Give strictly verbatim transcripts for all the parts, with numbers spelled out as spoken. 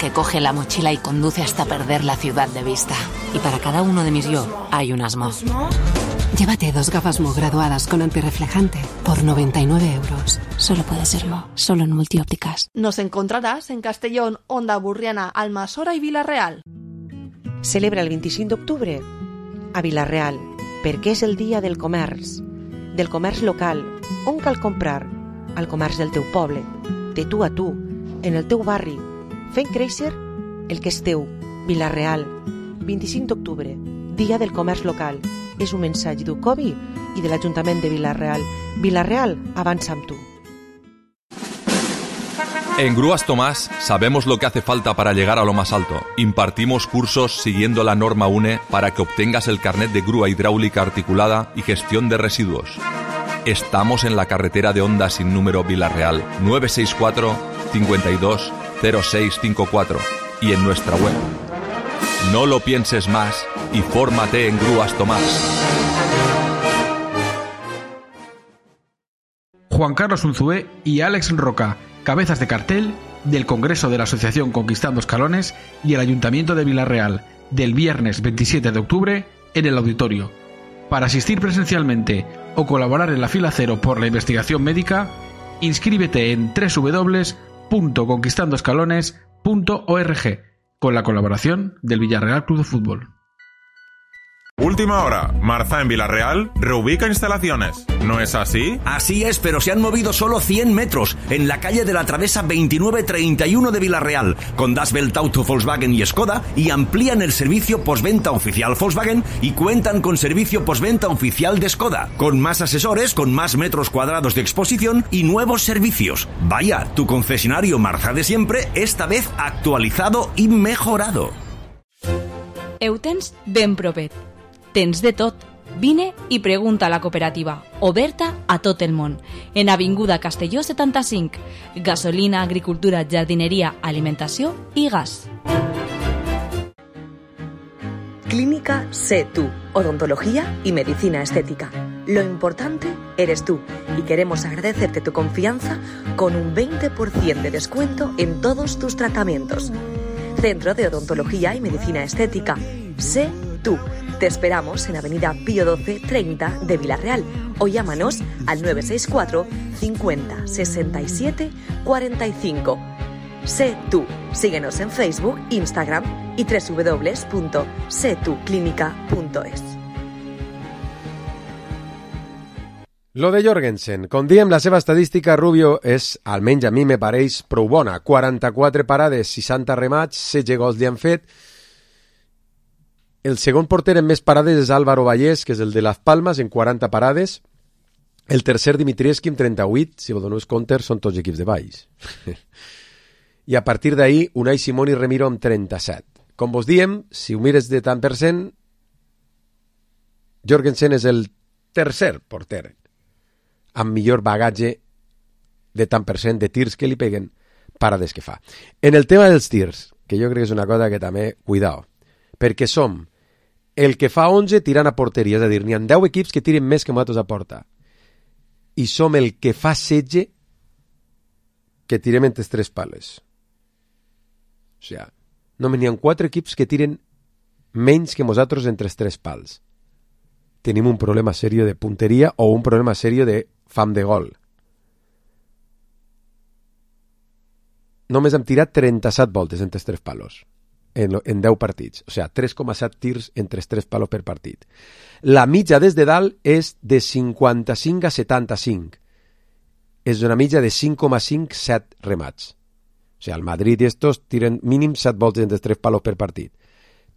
que coge la mochila y conduce hasta perder la ciudad de vista. Y para cada uno de mis yo hay un Asmo. Llévate dos gafas Mo graduadas con antirreflejante por noventa y nueve euros. Solo puede ser Mo, solo en Multiópticas. Nos encontrarás en Castellón, Onda Burriana, Almassora y Vila-real. Celebra el vint-i-cinc d'octubre a Vila-real, perquè és el dia del comerç, del comerç local, on cal comprar, al comerç del teu poble, de tu a tu, en el teu barri, fent créixer el que és teu. Vila-real, vint-i-cinc d'octubre, dia del comerç local. És un mensatge d'Ucovi y del Ayuntamiento de Vila-real. Vila-real, avanza amb tu. En Grúas Tomás sabemos lo que hace falta para llegar a lo más alto. Impartimos cursos siguiendo la norma U N E para que obtengas el carnet de grúa hidráulica articulada y gestión de residuos. Estamos en la carretera de Onda sin número Vila-real, nueve seis cuatro, cinco dos, cero seis cinco cuatro y en nuestra web. No lo pienses más y fórmate en Grúas Tomás. Juan Carlos Unzué y Alex Roca, cabezas de cartel del Congreso de la Asociación Conquistando Escalones y el Ayuntamiento de Vila-real, del viernes veintisiete de octubre en el auditorio. Para asistir presencialmente o colaborar en la fila cero por la investigación médica, inscríbete en doble u doble u doble u punto conquistando escalones punto org con la colaboración del Villarreal Club de Fútbol. Última hora. Marza en Vila-real reubica instalaciones. ¿No es así? Así es, pero se han movido solo cien metros en la calle de la Travesa veintinueve treinta y uno de Vila-real, con Das Welt Auto, Volkswagen y Skoda, y amplían el servicio postventa oficial Volkswagen y cuentan con servicio postventa oficial de Skoda, con más asesores, con más metros cuadrados de exposición y nuevos servicios. Vaya, tu concesionario Marza de siempre, esta vez actualizado y mejorado. Eutens ben propet. Tens de tot. Vine i pregunta a la cooperativa, oberta a tot el món. En Avinguda Castelló setanta-cinc. Gasolina, agricultura, jardineria, alimentació i gas. Clínica Sé Tú, odontología y medicina estética. Lo importante eres tú y queremos agradecerte tu confianza con un veinte por ciento de descuento en todos tus tratamientos. Centro de Odontología y Medicina Estética. Sé Tú. Te esperamos en Avenida Pío doce treinta de Vila-real o llámanos al nueve seis cuatro, cincuenta, sesenta y siete, cuarenta y cinco. Sé Tú. Síguenos en Facebook, Instagram y doble u doble u doble u punto sé tú clínica punto es. Lo de Jorgensen. Com diem, la seva estadística, Rubio, és, almenys a mi me pareix, prou bona. quaranta-quatre parades, seixanta remats, setze gols li han fet. El segon porter en més parades és Álvaro Vallès, que és el de Las Palmas, en quaranta parades. El tercer, Dimitrievski, amb trenta-vuit. Si vos doneu compte, són tots equips de baix. I a partir d'ahir, Unai Simón i Remiro amb trenta-set. Com vos diem, si ho mires de tant per cent, Jorgensen és el tercer porter amb millor bagatge de tant per cent de tirs que li peguen, parades que fa. En el tema dels tirs, que jo crec que és una cosa que també, cuidao, perquè som el que fa onze tirant a porteria, és a dir, n'hi ha deu equips que tiren més que nosaltres a porta, i som el que fa setze que tirem entre tres pales. O sigui, només n'hi ha quatre equips que tiren menys que nosaltres entre tres pals. Tenim un problema serio de punteria o un problema serio de fam de gol. Només hem tirat trenta-set voltes entre tres palos en, en deu partits. O sigui, tres coma set tirs entre tres palos per partit. La mitja des de dalt és de cinquanta-cinc a setanta-cinc. És una mitja de cinc coma cinc set remats. O sigui, el Madrid i estos tiren mínim set voltes entre tres palos per partit.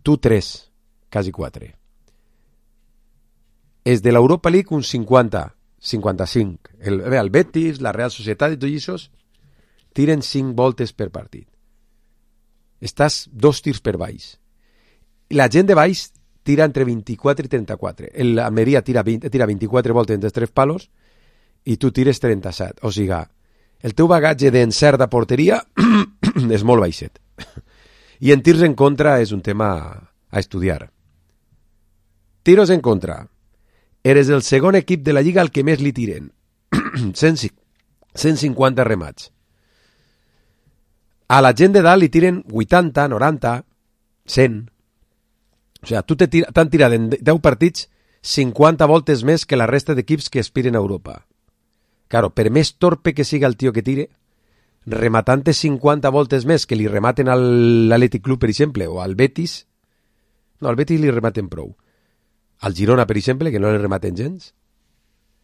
Tu tres, quasi quatre. És de l'Europa League un cinquanta, cinquanta-cinc. El, bé, el Betis, la Real Societat i tots aquests tiren cinc voltes per partit. Estàs dos tirs per baix. La gent de baix tira entre vint-i-quatre i trenta-quatre. L'Almeria tira, tira vint-i-quatre voltes entre tres palos i tu tires trenta-set. O sigui, el teu bagatge d'encert de porteria és molt baixet. I en tirs en contra és un tema a estudiar. Tiros en contra. Eres el segon equip de la Lliga al que més li tiren. cent cinquanta remats. A la gent de dalt li tiren vuitanta, noranta, cent. O sigui, tu t'han tirat en deu partits cinquanta voltes més que la resta d'equips que aspiren a Europa. Claro, per més torpe que siga el tio que tire, rematant cinquanta voltes més que li rematen a l'Athletic Club, per exemple, o al Betis, no, al Betis li rematen prou. Al Girona, per exemple, que no li rematen gens.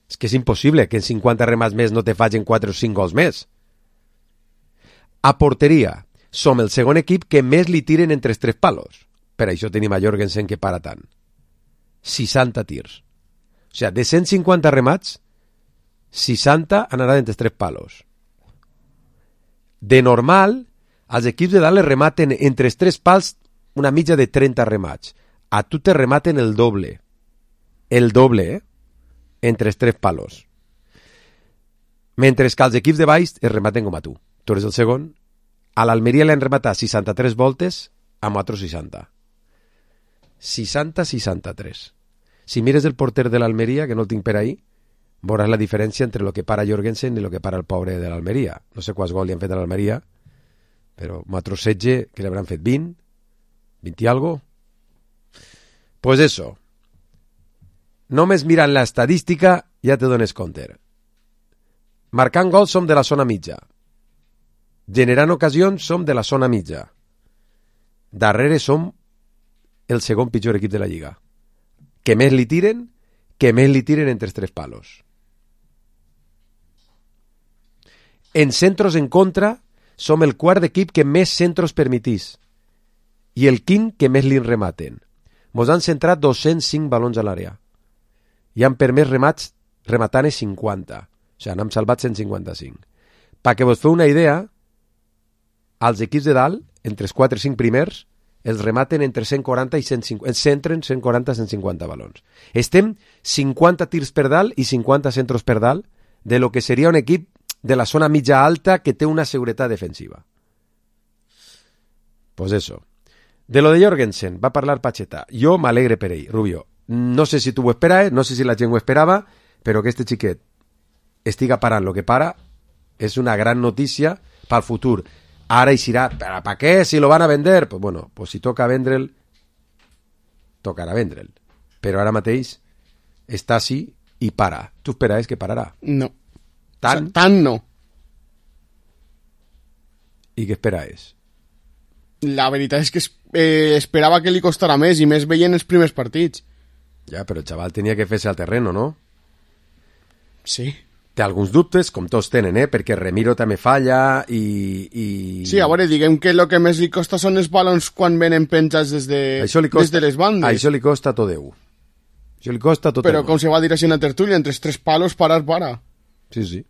És que és impossible que en cinquanta remats més no te facin quatre o cinc gols més. A porteria, som el segon equip que més li tiren entre els tres palos. Per això tenim a Jorgensen que para tant. seixanta tirs. O sigui, de cent cinquanta remats, seixanta han anat entre els tres palos. De normal, els equips de dalt les rematen entre els tres pals una mitja de trenta remats. A tu te rematen el doble. El doble, eh? Entre els tres palos. Mentre que els equips de baix es rematen com a tu. Tu eres el segon. A l'Almeria l'han rematat seixanta-tres voltes, amb otros seixanta. seixanta seixanta-tres. Si mires el porter de l'Almeria, que no el tinc per ahí, veuràs la diferència entre el que para Jorgensen i el que para el pobre de l'Almeria. No sé quants gols li han fet a l'Almeria, però amb otros setze, que l'hauran fet vint, vint i algo. Pues eso. Només mirant l'estadística ja te dones compte. Marcant gols som de la zona mitja. Generant ocasions som de la zona mitja. Darrere som el segon pitjor equip de la Lliga. Que més li tiren, que més li tiren entre els tres palos. En centros en contra som el quart equip que més centros permitís i el quint que més li rematen. Mos han centrat dos-cents cinc balons a l'àrea i han permès remats rematant cinquanta. O sigui, n'hem salvat cent cinquanta-cinc. Perquè vos feu una idea, els equips de dalt, entre els quatre o cinc primers, els rematen entre cent quaranta i cent cinquanta, els centren cent quaranta a cent cinquanta balons. Estem cinquanta tirs per dalt i cinquanta centros per dalt de lo que seria un equip de la zona mitja alta que té una seguretat defensiva. Pues eso. De lo de Jorgensen va parlar Pacheta. Jo m'alegre per ell, Rubio. No sé si tu ho esperaves, no sé si la gent ho esperava, però que este xiquet estiga parant lo que para és una gran notícia pel futur. Ara eixirà, ¿para pa què? Si lo van a vender? Pues bueno, pues si toca vendre'l, tocarà vendre'l. Però ara mateix està així i para. Tu esperaves que pararà? No. Tant? O sea, tant no. I què esperaves? La veritat és que eh, esperava que li costara més i més veient els primers partits. Ja, però el xaval tenia que fer-se al terreno, no? Sí. Té alguns dubtes, com tots tenen, eh? Perquè Remiro també falla i... i... Sí, a veure, diguem que el que més li costa són els balons quan venen penjats des de, costa, des de les bandes. Això li costa tot Déu. Això li costa tot Però com se va dir així en la tertúlia, entre els tres palos, parar, para. Sí, sí.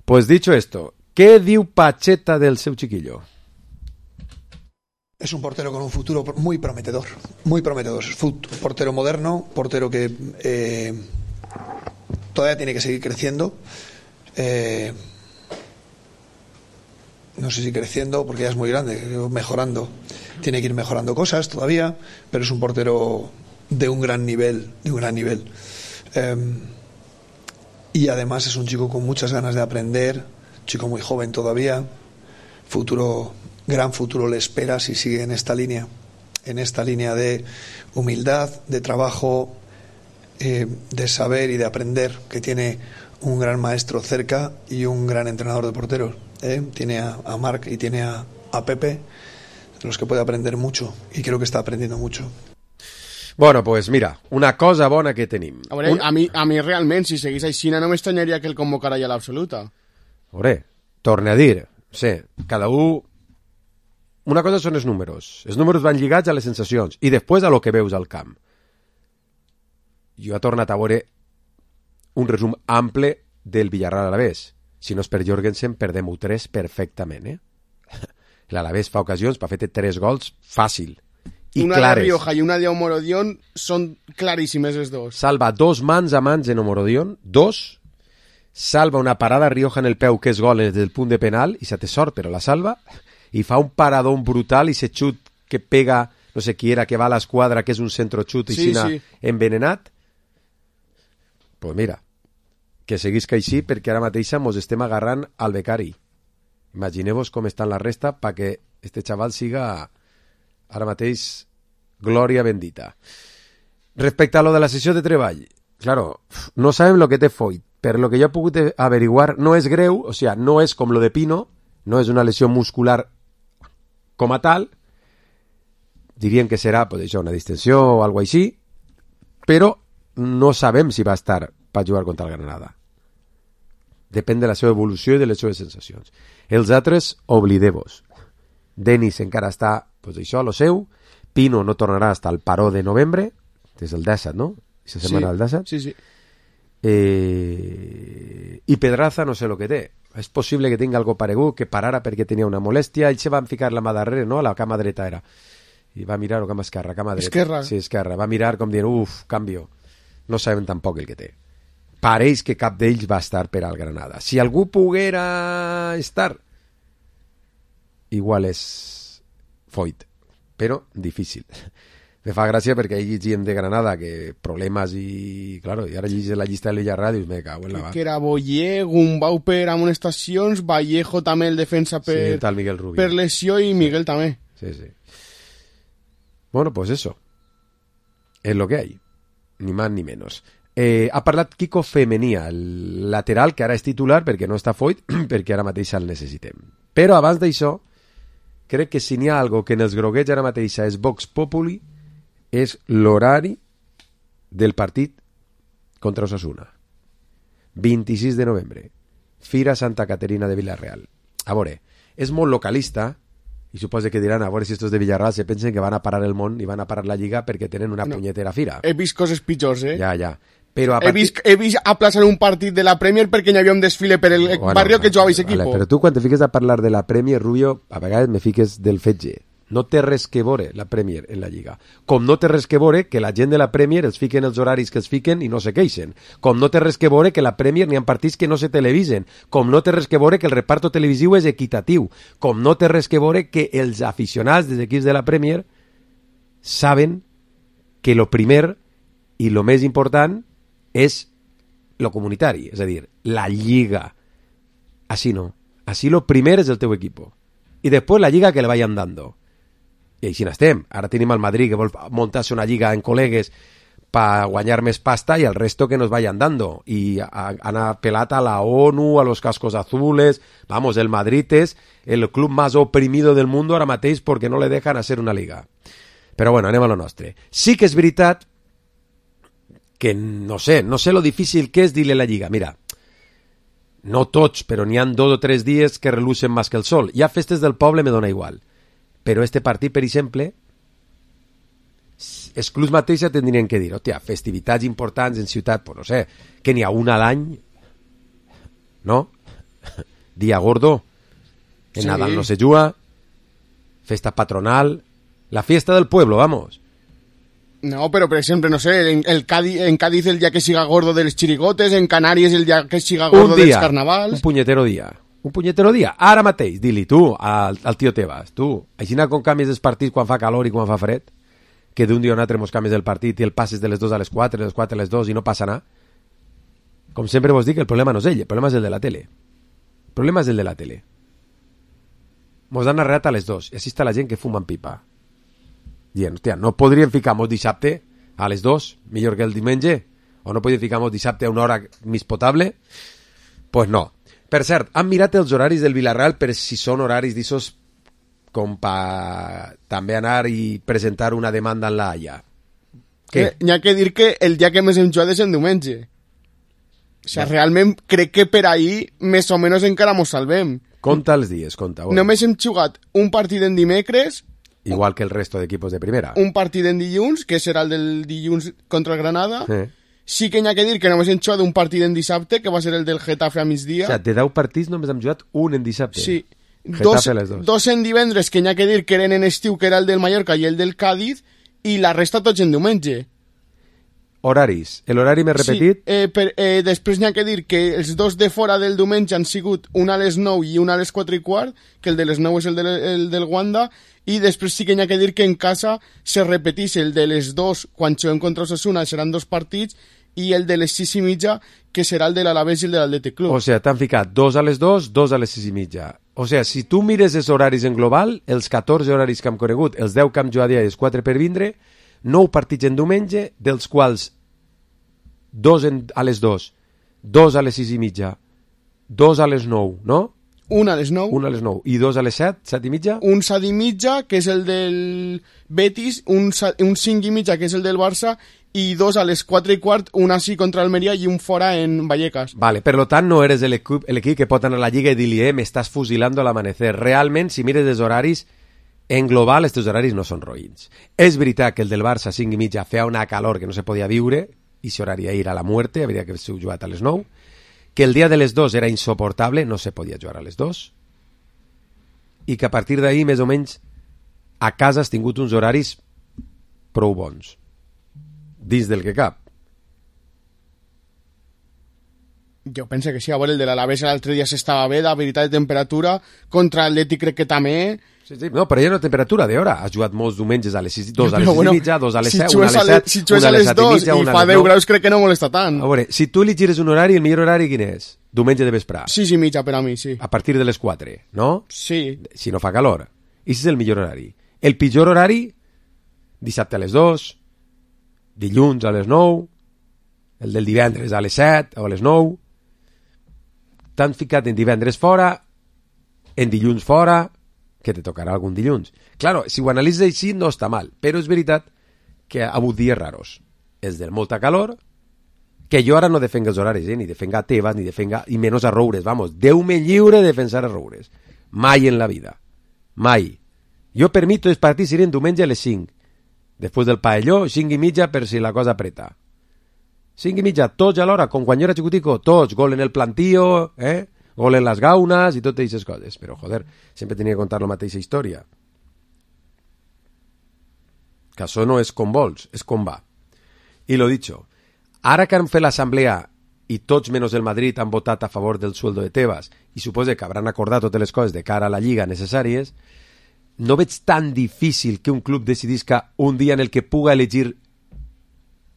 Pues dicho esto, ¿qué diu Pacheta del seu chiquillo? Es un portero con un futuro muy prometedor, muy prometedor. Es un portero moderno, portero que eh, todavía tiene que seguir creciendo. Eh, no sé si creciendo, porque ya es muy grande, mejorando. Tiene que ir mejorando cosas todavía, pero es un portero de un gran nivel, de un gran nivel. Eh, y además es un chico con muchas ganas de aprender, chico muy joven todavía, futuro... gran futuro le espera si sigue en esta línea, en esta línea de humildad, de trabajo, eh, de saber y de aprender, que tiene un gran maestro cerca y un gran entrenador de porteros. ¿eh? Tiene a, a Marc y tiene a, a Pepe, de los que puede aprender mucho, y creo que está aprendiendo mucho. Bueno, pues mira, una cosa bona que tenim. A, veure, un... a, mi, a mi realment, si seguís així, no m'estranyaria que el convocara ja a l'absoluta. A veure, torne a dir, sí, cada un... Una cosa són els números. Els números van lligats a les sensacions i després a lo que veus al camp. Jo he tornat a veure un resum ample del Villarreal Alavés. Si no és per Jorgensen, perdem-ho tres perfectament, eh? L'Alavés fa ocasions per fer tres gols fàcil i una clares. Una de Rioja i una de Omorodion són claríssimes els dos. Salva dos mans a mans en Omorodion, dos. Salva una parada a Rioja en el peu que és gol des del punt de penal i se té sort, però la salva. I fa un paradón brutal i se xut que pega, no sé qui era, que va a l'esquadra, que és un centro xut i sí, sina sí. envenenat. Pues mira, que seguisca així perquè ara mateixa mos estem agarrant al becari. Imagineu-vos com estan la resta perquè este xaval siga ara mateix glòria bendita. Respecte a lo de la sessió de treball, claro, no sabem lo que té Foyt, però lo que jo he pogut averiguar no és greu, o sea, no és com lo de Pino, no és una lesió muscular com a tal, dirien que serà pues, això, una distensió o alguna cosa així, però no sabem si va estar per jugar contra el Granada. Depèn de la seva evolució i de les seves sensacions. Els altres, oblideu-vos. Denis encara està, pues, això, a lo seu. Pino no tornarà fins al paró de novembre, des del disset, no? Aquesta setmana del disset. Sí, sí. Eh... I Pedraza no sé el que té. És possible que tingui algo paregut, que parara perquè tenia una molèstia. Ell se va ficar la mà darrere, no? La cama dreta era. I va mirar, o cama esquerra, cama dreta. Esquerra. Sí, esquerra. Va mirar com dient, uf, canvio. No sabem tampoc el que té. Pareix que cap d'ells va estar per al Granada. Si algú poguera estar, igual és Foyt, però difícil. Me fa gràcia perquè hi gent de Granada que problemes i, claro, i ara llegis la llista de l'Villarreal i dius, me cago en la que, que era Boyer, Gumbau per amonestacions, Vallejo també el defensa per, sí, tal Miguel Rubio, per lesió i Miguel sí. també. Sí, sí. Bueno, pues eso. Es lo que hay. Ni más ni menos. Eh, ha parlat Kiko Femenía, el lateral, que ara és titular perquè no està Foyt, perquè ara mateix el necessitem. Però abans d'això, crec que si n'hi ha algo que en els groguets ara mateix és Vox Populi, és l'horari del partit contra Osasuna. vint-i-sis de novembre. Fira Santa Caterina de Villarreal. A veure, és molt localista, i suposo que diran, a veure si estos de Villarreal se pensen que van a parar el món i van a parar la Lliga perquè tenen una no, punyetera fira. He vist coses pitjors, eh? Ja, ja. Però a he, partir... vist, he vist aplaçar un partit de la Premier perquè hi havia un desfile per el bueno, barri que jugava aquest equip. Vale, però tu quan te fiques a parlar de la Premier, Rubio, a vegades me fiques del fetge. No té res que veure la Premier en la Lliga. Com no té res que veure que la gent de la Premier els fiquen els horaris que els fiquen i no se queixen. Com no té res que veure que la Premier n'hi ha partits que no se televisen. Com no té res que veure que el reparto televisiu és equitatiu. Com no té res que veure que els aficionats dels equips de la Premier saben que lo primer i lo més important és lo comunitari, és a dir, la Lliga. Així no. Així lo primer és el teu equipo. I després la Lliga que le vayan dando. I així n'estem. Ara tenim el Madrid que vol muntar-se una lliga en col·legues per guanyar més pasta i el resto que nos vayan dando. I han apelat a la ONU, a los cascos azules. Vamos, el Madrid és el club más oprimido del mundo ara mateix perquè no le dejan hacer una liga. Però bueno, anem a lo nostre. Sí que és veritat que no sé, no sé lo difícil que és dir-li a la lliga. Mira, no tots, però n'hi han dos o tres dies que relucen més que el sol. Hi ha festes del poble, me dona igual. Però este partit, per exemple, els clubs mateixos tindrien que dir, hòstia, festivitats importants en ciutat, pues no sé, que n'hi ha una a l'any, no? Dia gordo, en sí. Nadal no se juga, festa patronal, la fiesta del pueblo, vamos. No, pero por ejemplo, no sé, en, el Cádiz, en Cádiz el día que siga gordo de los chirigotes, en Canarias el día que siga gordo de los carnavals. Un punyetero dia. Un punyetero dia. Ara mateix, di-li tu al, al tio Tebas, tu, aixina com canvies els partits quan fa calor i quan fa fred, que d'un dia a un altre mos canvies el partit i el passes de les dos a les quatre, de les quatre a les dos i no passa nada. Com sempre vos dic, el problema no és ell, el problema és el de la tele. El problema és el de la tele. Mos han narrat a les dos i així està la gent que fuma en pipa. Dient, hòstia, no podríem ficar-nos dissabte a les dos, millor que el diumenge? O no podríem ficar-nos dissabte a una hora més potable? Pues no. Per cert, han mirat els horaris del Villarreal per si són horaris d'issos com per també anar i presentar una demanda en la Haya. Què? Eh, n'hi ha que dir que el dia que més hem jugat és el diumenge. O sigui, no. Realment crec que per ahir més o menys encara mos salvem. Conta els dies, conta. Bueno. Només hem jugat un partit en dimecres, igual que el resto de equipos de primera. Un partit en dilluns, que serà el del dilluns contra el Granada. Eh. Sí que n'hi ha que dir que només hem jugat un partit en dissabte, que va ser el del Getafe a migdia. O sigui, de deu partits només hem jugat un en dissabte. Sí. Dos, dos en divendres, que n'hi ha que dir que eren en estiu, que era el del Mallorca i el del Cádiz, i la resta tots en diumenge. Horaris. El horari m'he repetit? Sí, eh, per, eh, després n'hi ha que dir que els dos de fora del diumenge han sigut una a les nou i una a les quatre i quart, que el de les nou és el, de, el del Wanda, i després sí que n'hi ha que dir que en casa se repetís el de les dos, quan juguem contra Osasuna, seran dos partits, i el de les sis i mitja, que serà el de l'Alavés i el de l'Atlètic Club. O sigui, t'han ficat dos a les dos, dos a les sis i mitja. O sigui, si tu mires els horaris en global, els catorze horaris que hem conegut, els deu que hem jugat i els quatre per vindre, nou partits en diumenge, dels quals dos en, a les dos, dos a les sis i mitja, dos a les nou, no? Un a les nou. Un a les nou. I dos a les set, set i mitja? Un set i mitja, que és el del Betis, un, un cinc i mitja, que és el del Barça, i dos a les quatre i quart, un així contra Almeria i un fora en Vallecas. Vale, per lo tant no eres l'equip que pot anar a la Lliga i dir-li, eh, m'estàs fusilando al amanecer. Realment, si mires els horaris, en global, estos horaris no són roïns. És veritat que el del Barça, cinc i mitja, feia una calor que no se podia viure, i s'horari a ir a la muerte, hauria que haver jugat a les nou, que el dia de les dos era insoportable, no se podia jugar a les dos, i que a partir d'ahir, més o menys, a casa has tingut uns horaris prou bons, dins del que cap. Jo penso que sí, a veure, el de l'Alavés l'altre dia s'estava bé, de veritat de temperatura, contra l'Atlètic crec que també... Sí, sí, no, però ja no temperatura d'hora. Has jugat molts diumenges a les sis, dos a les sis bueno, i mitja, dos a les si set, una a les set, si una a les dos i, i fa deu graus crec que no molesta tant. A veure, si tu li gires un horari, el millor horari quin és? Diumenge de vesprà. Sis i mitja per a mi, sí. A partir de les quatre, no? Sí. Si no fa calor. I si és el millor horari. El pitjor horari, dissabte a les dos, dilluns a les nou, el del divendres a les set o a les nou, t'han ficat en divendres fora, en dilluns fora, que te tocarà algun dilluns. Claro, si ho analitzes així no està mal, però és veritat que ha hagut dies raros. És de molta calor, que jo ara no defenga els horaris, eh? Ni defenga a Tebas, ni defenga, i menys a Roures, vamos, Déu-me lliure de defensar a Roures. Mai en la vida. Mai. Jo per mi tots els partits serien diumenge a les cinc. Després del paelló, cinc i mitja per si la cosa apreta. cinc i mitja, tots a l'hora, com quan jo era xicutico, tots, gol en el plantío, eh? Gol en les gaunes i totes aquestes coses. Però, joder, sempre tenia que contar la mateixa història. Que això no és com vols, és com va. I lo dicho, ara que han fet l'assemblea i tots menys el Madrid han votat a favor del sueldo de Tebas i suposa que hauran acordat totes les coses de cara a la Lliga necessàries, no veig tan difícil que un club decidisca un dia en el que puga elegir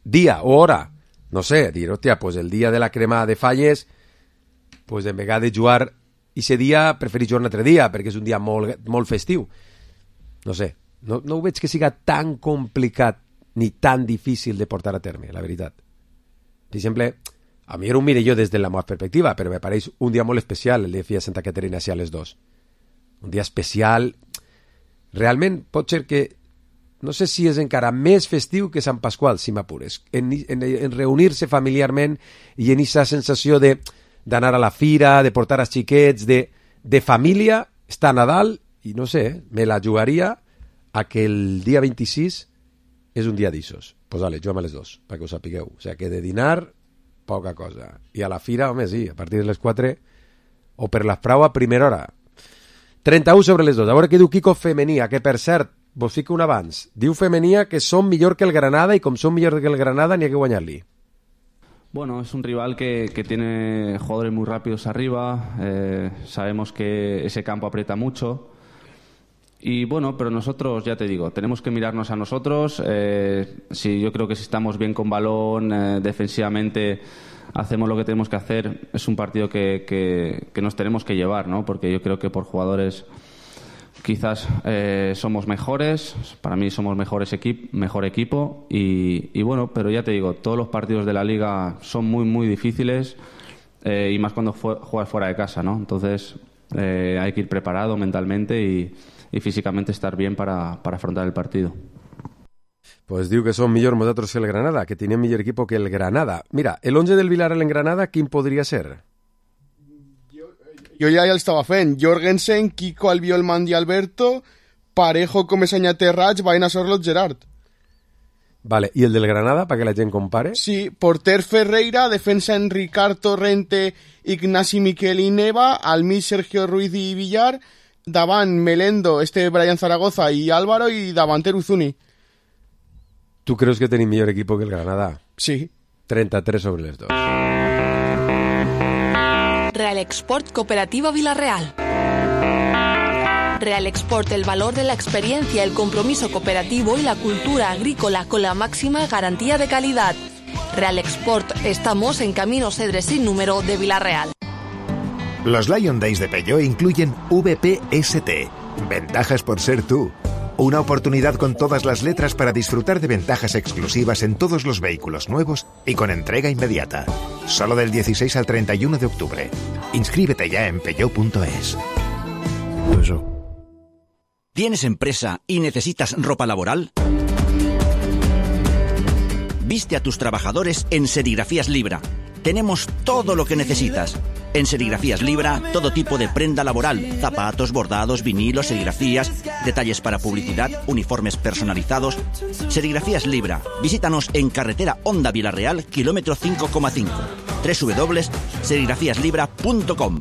dia o hora. No sé, dir, hòstia, pues el dia de la crema de falles, pues en vegada de jugar ese dia, preferís jugar un altre dia, perquè és un dia molt, molt festiu. No sé, no, no ho veig que siga tan complicat ni tan difícil de portar a terme, la veritat. Per exemple, a mi ara ho mire jo des de la meva perspectiva, però me pareix un dia molt especial el de Fia Santa Caterina si a les dos. Un dia especial. Realment pot ser que no sé si és encara més festiu que Sant Pasqual, si m'apures, en, en, en reunir-se familiarment i en aquesta sensació de d'anar a la fira, de portar els xiquets, de, de família, està a Nadal, i no sé, me la jugaria a que el dia vint-i-sis és un dia d'issos. Pues vale, juguem a les dos, perquè ho sapigueu. O sigui, que de dinar, poca cosa. I a la fira, home, sí, a partir de les quatre, o per l'esprau a primera hora. trenta-u sobre les dos. A veure què diu Kiko Femenia, que per cert, vos fico un abans. Diu Femenia que són millor que el Granada i com són millor que el Granada n'hi ha que guanyar-li. Bueno, es un rival que, que tiene jugadores muy rápidos arriba, eh, sabemos que ese campo aprieta mucho y bueno, pero nosotros, ya te digo, tenemos que mirarnos a nosotros, eh, si yo creo que si estamos bien con balón, eh, defensivamente hacemos lo que tenemos que hacer, es un partido que, que, que nos tenemos que llevar, ¿no? Porque yo creo que por jugadores quizás eh, somos mejores, para mí somos mejores equip mejor equipo y, y bueno, pero ya te digo, todos los partidos de la Liga son muy muy difíciles eh, y más cuando fu juegas fuera de casa, ¿no? Entonces eh, hay que ir preparado mentalmente y, y físicamente estar bien para, para afrontar el partido. Pues diu que són millor nosaltres que el Granada, que tenim millor equipo que el Granada. Mira, el once del Villarreal en Granada, quin podria ser? Jo ja ja l'estava fent. Jorgensen, Kiko, Albiol, Mandi, Alberto, Parejo, Comesaña, Terrats, Baena, Sorlot, Gerard. Vale, i el del Granada, perquè la gent compare? Sí, porter Ferreira, defensa en Ricard, Torrente, Ignasi, Miquel i Neva, al mig Sergio Ruiz i Villar, davant Melendo, este Brian Zaragoza i Álvaro i davanter Uzuni. Tu creus que tenim millor equipo que el Granada? Sí. trenta-tres sobre les dos. Real Export Cooperativa Villarreal. Real Export, el valor de la experiencia, el compromiso cooperativo y la cultura agrícola con la máxima garantía de calidad. Real Export, estamos en Camino Cedres sin número de Villarreal. Los Lion Days de Peugeot incluyen V P S T, ventajas por ser tú. Una oportunidad con todas las letras para disfrutar de ventajas exclusivas en todos los vehículos nuevos y con entrega inmediata. Solo del dieciséis al treinta y uno de octubre. Inscríbete ya en peugeot punto es. ¿Tienes empresa y necesitas ropa laboral? Viste a tus trabajadores en Serigrafías Libra. Tenemos todo lo que necesitas. En Serigrafías Libra, todo tipo de prenda laboral, zapatos, bordados, vinilos, serigrafías, detalles para publicidad, uniformes personalizados. Serigrafías Libra. Visítanos en carretera Honda Vilarreal, kilómetro cinco coma cinco. doble u doble u doble u punto serigrafías libra punto com.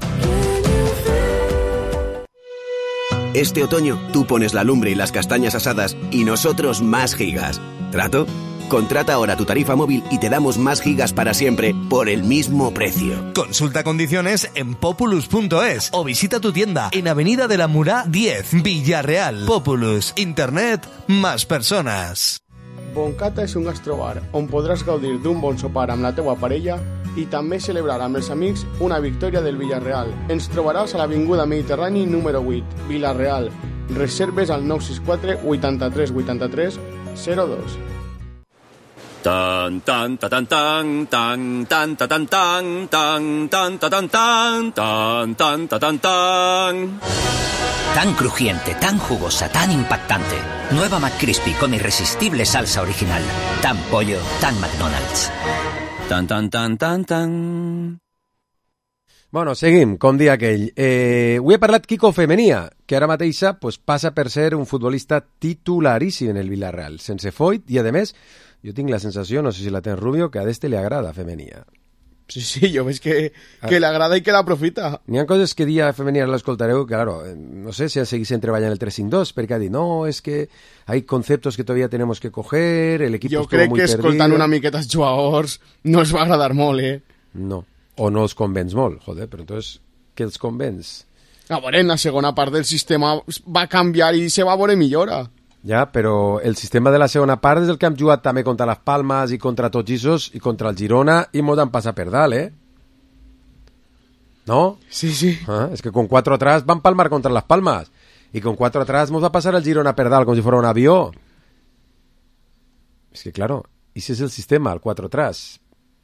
Este otoño, tú pones la lumbre y las castañas asadas y nosotros más gigas. ¿Trato? Contrata ahora tu tarifa móvil y te damos más gigas para siempre por el mismo precio. Consulta condiciones en populus punto es o visita tu tienda en Avenida de la Murá diez, Villarreal. Populus. Internet más personas. Boncata és un gastrobar on podràs gaudir d'un bon sopar amb la teua parella i també celebrar amb els amics una victòria del Villarreal. Ens trobaràs a l'Avinguda Mediterrani número vuit, Villarreal. Reserves al nou sis quatre, vuitanta-tres, vuitanta-tres, zero dos. Tan tan ta tan tan tan tan ta tan tan tan tan ta tan tan tan tan ta tan tan. Tan crujiente, tan jugosa, tan impactante. Nueva McCrispy con irresistible salsa original. Tan pollo, tan McDonald's. Tan tan tan tan tan. Bueno, seguim, com dia aquell. Eh, avui he parlat Quico Femenia, que ara mateixa pues, passa per ser un futbolista titularíssim en el Villarreal, sense foit, i a més, jo tinc la sensació, no sé si la tens Rubio, que a este li agrada Femenia. Sí, sí, jo veig que, que le agrada i que l'aprofita. N'hi ha coses que dia Femenia l'escoltareu, que claro, no sé si seguís treballant el tres cinc dos, perquè ha dit, no, és que hay conceptos que todavía tenemos que coger, el equipo jo estuvo muy perdido. Jo crec que escoltant una miqueta els jugadors no els va agradar molt, eh? No. O no els convenç molt, joder, però entonces, què els convenç? A veure, en la segona part del sistema va canviar i se va veure millora. Ja, però el sistema de la segona part és el que hem jugat també contra les Palmes i contra tots Isos i contra el Girona i mos han passat per dalt, eh? ¿No? Sí, sí. Ah, és que con cuatro atrás van palmar contra las Palmas y con cuatro atrás mos va pasar el Girona per dalt com si fuera un avió. És que, claro, ese és el sistema, el cuatro atrás.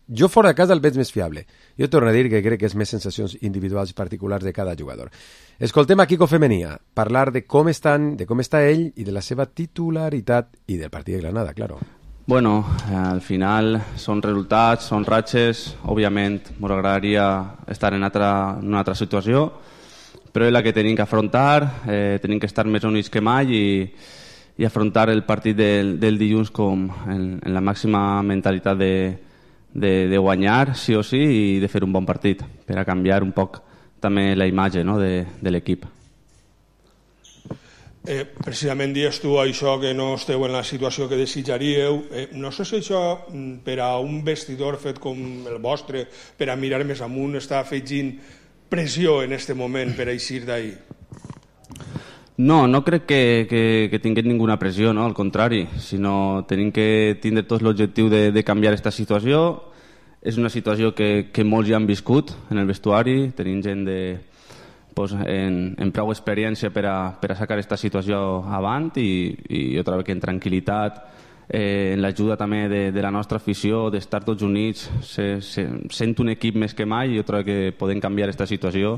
Jo fora de casa el veig més fiable. Jo torno a dir que crec que és més sensacions individuals i particulars de cada jugador. Escoltem a Quico Femenia parlar de com estan, de com està ell i de la seva titularitat i del partit de Granada, claro. Bueno, al final són resultats, són ratxes. Òbviament, m'agradaria estar en, altra, en una altra situació, però és la que tenim que afrontar, eh, tenim que estar més units que mai i, i afrontar el partit del, del dilluns com en, en la màxima mentalitat de De, de guanyar sí o sí i de fer un bon partit per a canviar un poc també la imatge, no, de, de l'equip. Eh, precisament dius tu això que no esteu en la situació que desitjaríeu. Eh, no sé si això per a un vestidor fet com el vostre, per a mirar més amunt, està afegint pressió en aquest moment per a eixir d'ahir. No, no crec que, que, que tinguem ninguna pressió, no? Al contrari, sinó tenim que tindre tots l'objectiu de, de canviar aquesta situació. És una situació que, que molts ja han viscut en el vestuari, tenim gent de, pues, en, en prou experiència per a, per a sacar aquesta situació avant i, i jo trobo que en tranquil·litat, eh, en l'ajuda també de, de la nostra afició, d'estar tots units, se, se, sent un equip més que mai, jo trobo que podem canviar aquesta situació.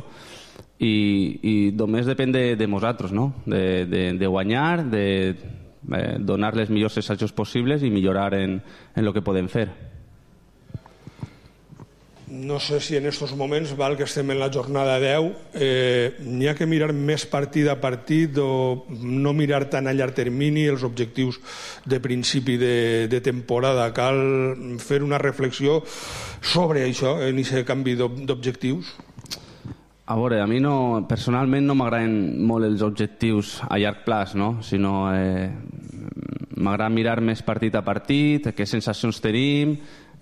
I, i només depèn de, de nosaltres, no? de, de, de guanyar, de eh, donar les millors assajos possibles i millorar en, en el que podem fer. No sé si en aquests moments, val que estem en la jornada deu, eh, n'hi ha que mirar més partit a partit o no mirar tan a llarg termini els objectius de principi de, de temporada. Cal fer una reflexió sobre això, en aquest canvi d'objectius. A veure, a mi no, personalment no m'agraden molt els objectius a llarg plaç, no? Sinó eh, m'agrada mirar més partit a partit, què sensacions tenim,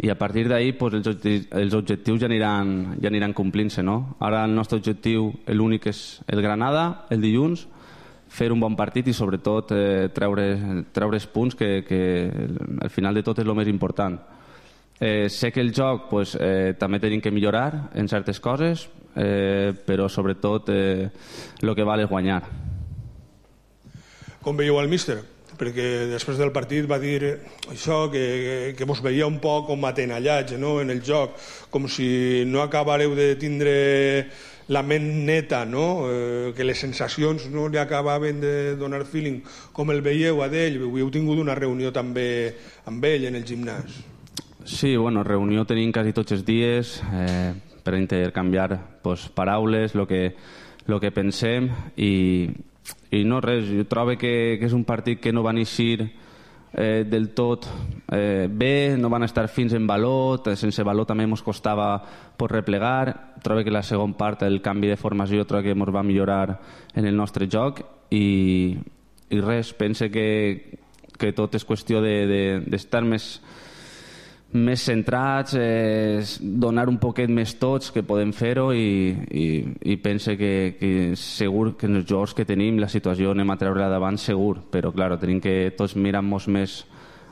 i a partir d'ahir pues, els, objectius, els objectius ja aniran, ja aniran complint-se, no? Ara el nostre objectiu, l'únic és el Granada, el dilluns, fer un bon partit i sobretot eh, treure, treure els punts que, que al final de tot és el més important. Eh, sé que el joc pues, eh, també tenim que millorar en certes coses, eh, però sobretot eh, el que val és guanyar. Com veieu el míster? Perquè després del partit va dir això, que, que vos veia un poc com atenallats, no?, en el joc, com si no acabareu de tindre la ment neta, no?, eh, que les sensacions no li acabaven de donar feeling. Com el veieu a d'ell? Heu tingut una reunió també amb ell en el gimnàs? Sí, bueno, reunió tenim quasi tots els dies eh, per intercanviar pues, paraules, el que, lo que pensem, i, i no res, jo trobo que, que és un partit que no va eixir eh, del tot eh, bé, no van estar fins en valor, sense valor també ens costava por replegar. Trobo que la segona part, el canvi de formació, trobo que ens va millorar en el nostre joc, i, i res, pense que, que tot és qüestió d'estar de, de, més més centrats, eh, donar un poquet més tots que podem fer-ho, i, i, i pense que, que segur que en els jugadors que tenim la situació anem a treure-la davant segur, però clar, tenim que tots mirar-nos més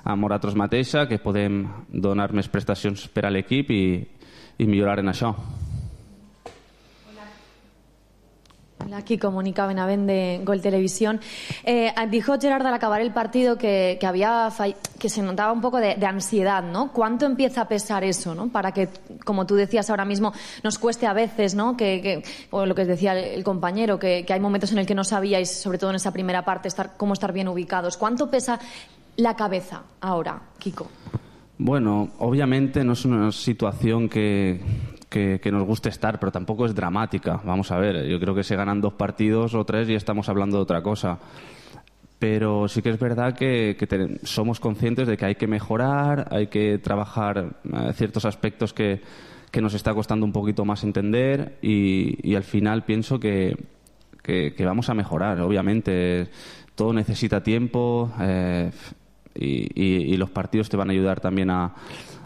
a nosaltres mateixa, que podem donar més prestacions per a l'equip i, i millorar en això. Hola, Kiko, Mónica Benavent de Gol Televisión. Eh, dijo Gerard al acabar el partido que, que, había fall... que se notaba un poco de, de ansiedad, ¿no? ¿Cuánto empieza a pesar eso, ¿no? Para que, como tú decías ahora mismo, nos cueste a veces, ¿no? Que, que, o lo que decía el, el compañero, que, que hay momentos en el que no sabíais, sobre todo en esa primera parte, estar, cómo estar bien ubicados. ¿Cuánto pesa la cabeza ahora, Kiko? Bueno, obviamente no es una situación que... Que, que nos guste estar, pero tampoco es dramática. Vamos a ver, yo creo que se ganan dos partidos o tres y estamos hablando de otra cosa. Pero sí que es verdad que, que te, somos conscientes de que hay que mejorar, hay que trabajar eh, ciertos aspectos que, que nos está costando un poquito más entender, y, y al final pienso que, que, que vamos a mejorar. Obviamente, todo necesita tiempo eh, y, y, y los partidos te van a ayudar también a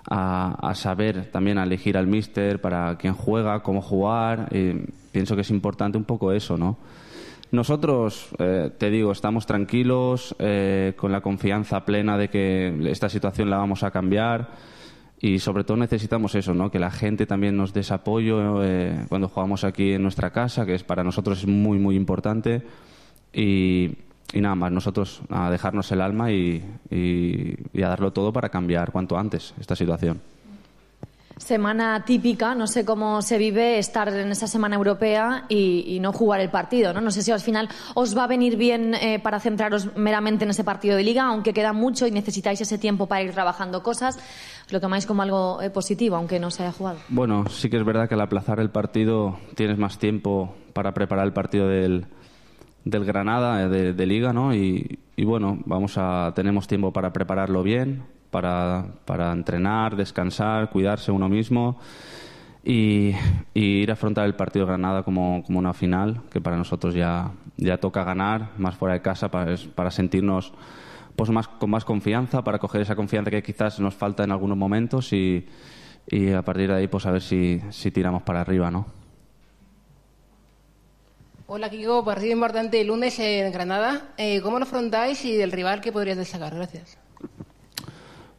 A, a saber también a elegir al míster para quién juega, cómo jugar. Y pienso que es importante un poco eso, ¿no? Nosotros, eh, te digo, estamos tranquilos, eh, con la confianza plena de que esta situación la vamos a cambiar, y sobre todo necesitamos eso, ¿no? Que la gente también nos dé ese apoyo eh, cuando jugamos aquí en nuestra casa, que es para nosotros es muy, muy importante. Y Y nada más, nosotros a dejarnos el alma y, y, y a darlo todo para cambiar cuanto antes esta situación. Semana típica, no sé cómo se vive estar en esa semana europea y, y no jugar el partido, ¿no? No sé si al final os va a venir bien eh, para centraros meramente en ese partido de Liga, aunque queda mucho y necesitáis ese tiempo para ir trabajando cosas. ¿Os lo tomáis como algo eh, positivo, aunque no se haya jugado? Bueno, sí que es verdad que al aplazar el partido tienes más tiempo para preparar el partido del... del Granada de, de Liga, ¿no? Y, y bueno, vamos a tenemos tiempo para prepararlo bien, para, para entrenar, descansar, cuidarse uno mismo y, y ir a afrontar el partido de Granada como, como una final, que para nosotros ya, ya toca ganar, más fuera de casa, para, para sentirnos pues más, con más confianza, para coger esa confianza que quizás nos falta en algunos momentos, y, y a partir de ahí pues a ver si, si tiramos para arriba, ¿no? Hola, Kiko, partido importante el lunes en Granada. Eh, ¿Cómo lo afrontáis y del rival qué podrías destacar? Gracias.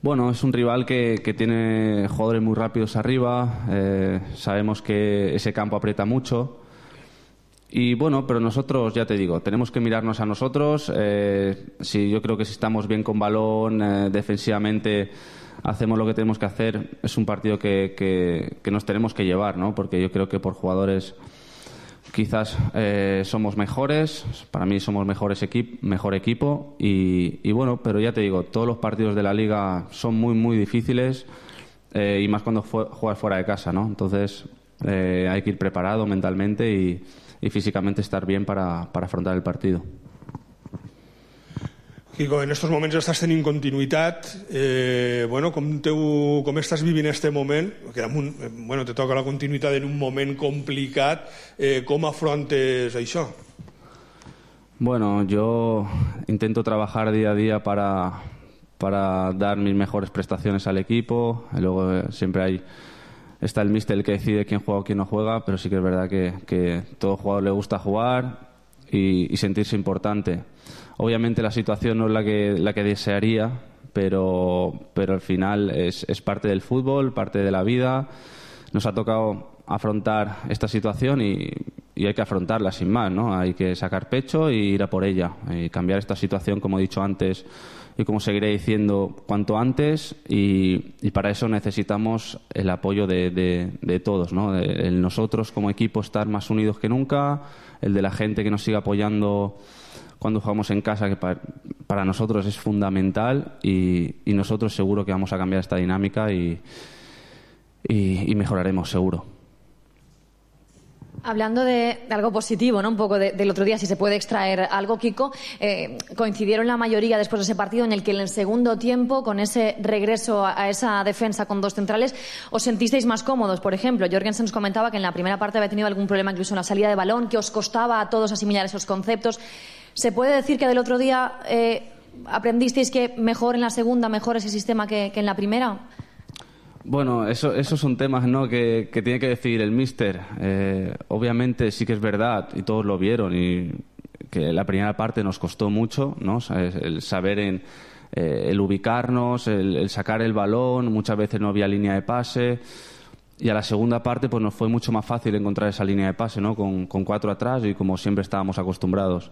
Bueno, es un rival que, que tiene jugadores muy rápidos arriba, eh, sabemos que ese campo aprieta mucho, y bueno, pero nosotros, ya te digo, tenemos que mirarnos a nosotros. Eh, si yo creo que si estamos bien con balón, eh, defensivamente hacemos lo que tenemos que hacer, es un partido que, que, que nos tenemos que llevar, ¿no? Porque yo creo que por jugadores quizás eh, somos mejores, para mí somos mejores equip mejor equipo, y, y bueno, pero ya te digo, todos los partidos de la Liga son muy, muy difíciles, eh, y más cuando juegas fuera de casa, ¿no? Entonces eh, hay que ir preparado mentalmente y, y físicamente estar bien para, para afrontar el partido. Kiko, en estos moments estàs tenint continuïtat, eh, bueno, com, teu, com estàs vivint este moment, que un, bueno, te toca la continuïtat en un moment complicat, eh, com afrontes això? Bueno, yo intento trabajar día a día para, para dar mis mejores prestaciones al equipo, y luego eh, siempre hay está el míster el que decide quién juega o quién no juega, pero sí que es verdad que, que a todo jugador le gusta jugar y, y sentirse importante. Obviamente la situación no es la que, la que desearía, pero, pero al final es, es parte del fútbol, parte de la vida. Nos ha tocado afrontar esta situación y, y hay que afrontarla sin más, ¿no? Hay que sacar pecho y ir a por ella y cambiar esta situación, como he dicho antes y como seguiré diciendo, cuanto antes, y, y para eso necesitamos el apoyo de, de, de todos, ¿no? De, el nosotros como equipo estar más unidos que nunca, el de la gente que nos siga apoyando cuando jugamos en casa, que para, para nosotros es fundamental, y, y nosotros seguro que vamos a cambiar esta dinámica y, y, y mejoraremos seguro. Hablando de, de algo positivo, ¿no? Un poco de, del otro día, si se puede extraer algo, Kiko, eh, coincidieron la mayoría después de ese partido en el que en el segundo tiempo, con ese regreso a, a esa defensa con dos centrales, os sentisteis más cómodos. Por ejemplo, Jorgensen nos comentaba que en la primera parte había tenido algún problema incluso en la salida de balón, que os costaba a todos asimilar esos conceptos. ¿Se puede decir que del otro día eh, aprendisteis que mejor en la segunda, mejor ese sistema que, que en la primera? Bueno, eso, esos son temas, ¿no?, que, que tiene que decidir el míster. Eh, obviamente sí que es verdad, y todos lo vieron, y que la primera parte nos costó mucho, ¿no? El saber en, eh, el ubicarnos, el, el sacar el balón, muchas veces no había línea de pase, y a la segunda parte pues nos fue mucho más fácil encontrar esa línea de pase, ¿no?, con, con cuatro atrás y como siempre estábamos acostumbrados.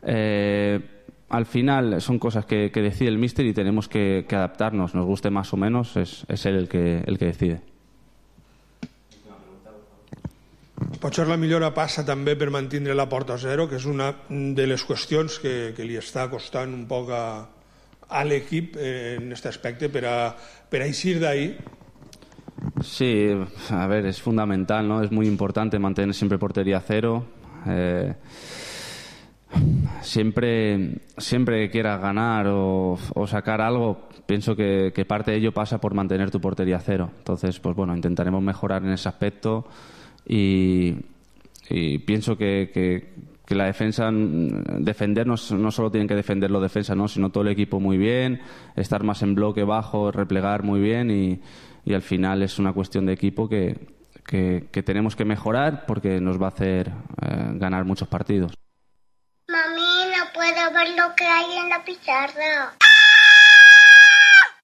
Eh, Al final son cosas que, que decide el míster y tenemos que, que adaptarnos, nos guste más o menos, es, es él el que, el que decide. Potser la millora passa també per mantenir la porta a zero, que és una de les qüestions que, que li està costant un poc a, a l'equip en aquest aspecte per a, per a eixir d'ahí. Sí, a ver, es fundamental, ¿no? Es muy importante mantener siempre portería a cero. Eh, Siempre, siempre que quieras ganar o, o sacar algo, pienso que, que parte de ello pasa por mantener tu portería a cero. Entonces, pues bueno, intentaremos mejorar en ese aspecto y, y pienso que, que, que la defensa, defendernos, no solo tienen que defender los defensas, ¿no?, sino todo el equipo muy bien, estar más en bloque bajo, replegar muy bien y, y al final es una cuestión de equipo que, que, que tenemos que mejorar porque nos va a hacer eh, ganar muchos partidos. Mami, no puedo ver lo que hay en la pizarra.